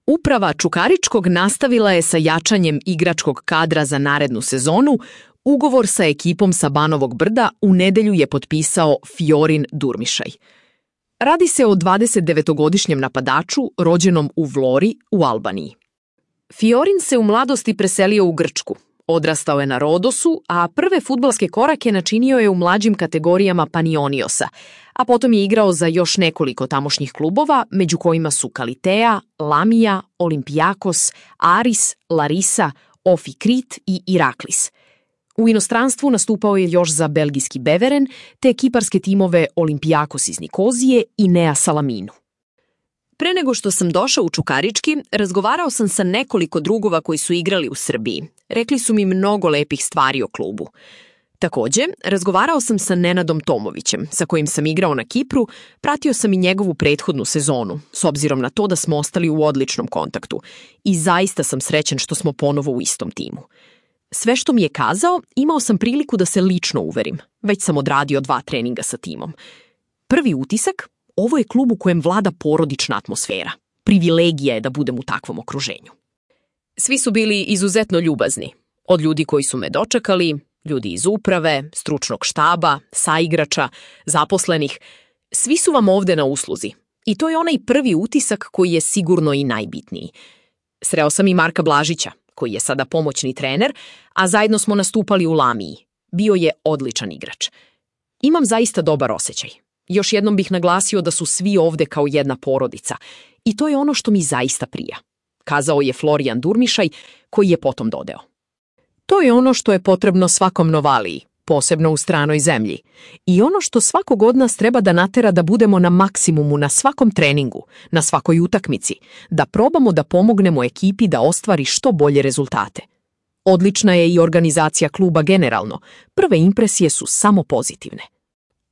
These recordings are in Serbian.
Uprava Čukaričkog nastavila je sa jačanjem igračkog kadra za narednu sezonu. Ugovor sa ekipom sa Banovog Brda u nedelju je potpisao Fiorin Durmišaj. Radi se o 29-godišnjem napadaču rođenom u Vlori u Albaniji. Fiorin se u mladosti preselio u Grčku. Odrastao je na Rodosu, a prve fudbalske korake načinio je u mlađim kategorijama Panioniosa, a potom je igrao za još nekoliko tamošnjih klubova, među kojima su Kalitea, Lamija, Olimpijakos, Aris, Larisa, Ofi Krit i Iraklis. U inostranstvu nastupao je još za belgijski Beveren, te ekiparske timove Olimpijakos iz Nikozije i Nea Salaminu. Pre nego što sam došao u Čukarički, razgovarao sam sa nekoliko drugova koji su igrali u Srbiji. Rekli su mi mnogo lepih stvari o klubu. Takođe, razgovarao sam sa Nenadom Tomovićem, sa kojim sam igrao na Kipru, pratio sam i njegovu prethodnu sezonu, s obzirom na to da smo ostali u odličnom kontaktu. I zaista sam srećan što smo ponovo u istom timu. Sve što mi je kazao, imao sam priliku da se lično uverim. Već sam odradio 2 treninga sa timom. Prvi utisak, ovo je klub u kojem vlada porodična atmosfera. Privilegija je da budem u takvom okruženju. Svi su bili izuzetno ljubazni. Od ljudi koji su me dočekali, ljudi iz uprave, stručnog štaba, saigrača, zaposlenih. Svi su vam ovde na usluzi. I to je onaj prvi utisak koji je sigurno i najbitniji. Sreo sam i Marka Blažića, koji je sada pomoćni trener, a zajedno smo nastupali u Lamiji. Bio je odličan igrač. Imam zaista dobar osjećaj. Još jednom bih naglasio da su svi ovde kao jedna porodica. I to je ono što mi zaista prija, kazao je Florijan Durmišaj, koji je potom dodao. To je ono što je potrebno svakom Novaliji, posebno u stranoj zemlji. I ono što svakog od nas treba da natera da budemo na maksimumu na svakom treningu, na svakoj utakmici, da probamo da pomognemo ekipi da ostvari što bolje rezultate. Odlična je i organizacija kluba generalno. Prve impresije su samo pozitivne.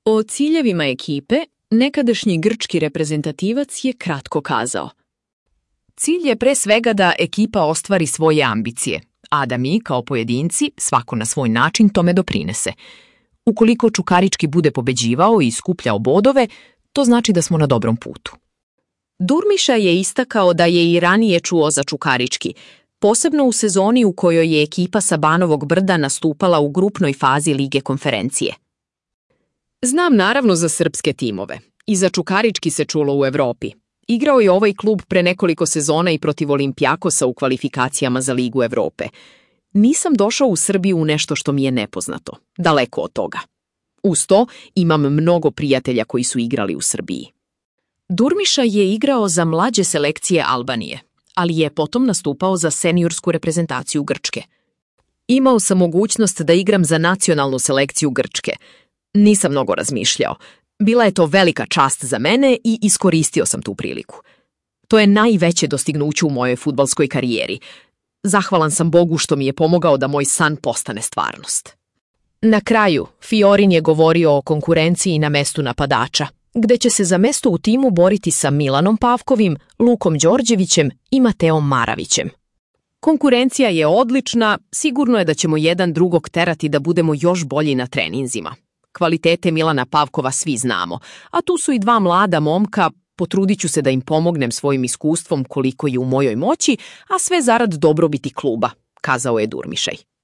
O ciljevima ekipe nekadašnji grčki reprezentativac je kratko kazao. Cilj je pre svega da ekipa ostvari svoje ambicije, a da mi, kao pojedinci, svako na svoj način tome doprinese. Ukoliko Čukarički bude pobeđivao i skupljao bodove, to znači da smo na dobrom putu. Durmiša je istakao da je i ranije čuo za Čukarički, posebno u sezoni u kojoj je ekipa sa Banovog Brda nastupala u grupnoj fazi Lige konferencije. Znam naravno za srpske timove. I za Čukarički se čulo u Evropi. Igrao je ovaj klub pre nekoliko sezona i protiv Olimpijakosa u kvalifikacijama za Ligu Evrope. Nisam došao u Srbiju u nešto što mi je nepoznato. Daleko od toga. Uz to imam mnogo prijatelja koji su igrali u Srbiji. Durmiša je igrao za mlađe selekcije Albanije, ali je potom nastupao za seniorsku reprezentaciju Grčke. Imao sam mogućnost da igram za nacionalnu selekciju Grčke. Nisam mnogo razmišljao. Bila je to velika čast za mene i iskoristio sam tu priliku. To je najveće dostignuće u mojoj fudbalskoj karijeri. Zahvalan sam Bogu što mi je pomogao da moj san postane stvarnost. Na kraju, Fiorin je govorio o konkurenciji na mestu napadača, gde će se za mesto u timu boriti sa Milanom Pavkovim, Lukom Đorđevićem i Mateom Maravićem. Konkurencija je odlična, sigurno je da ćemo jedan drugog terati da budemo još bolji na treninzima. Kvalitete Milana Pavkova svi znamo, a tu su i 2 mlada momka, potrudit ću se da im pomognem svojim iskustvom koliko je u mojoj moći, a sve zarad dobrobiti kluba, kazao je Durmišaj.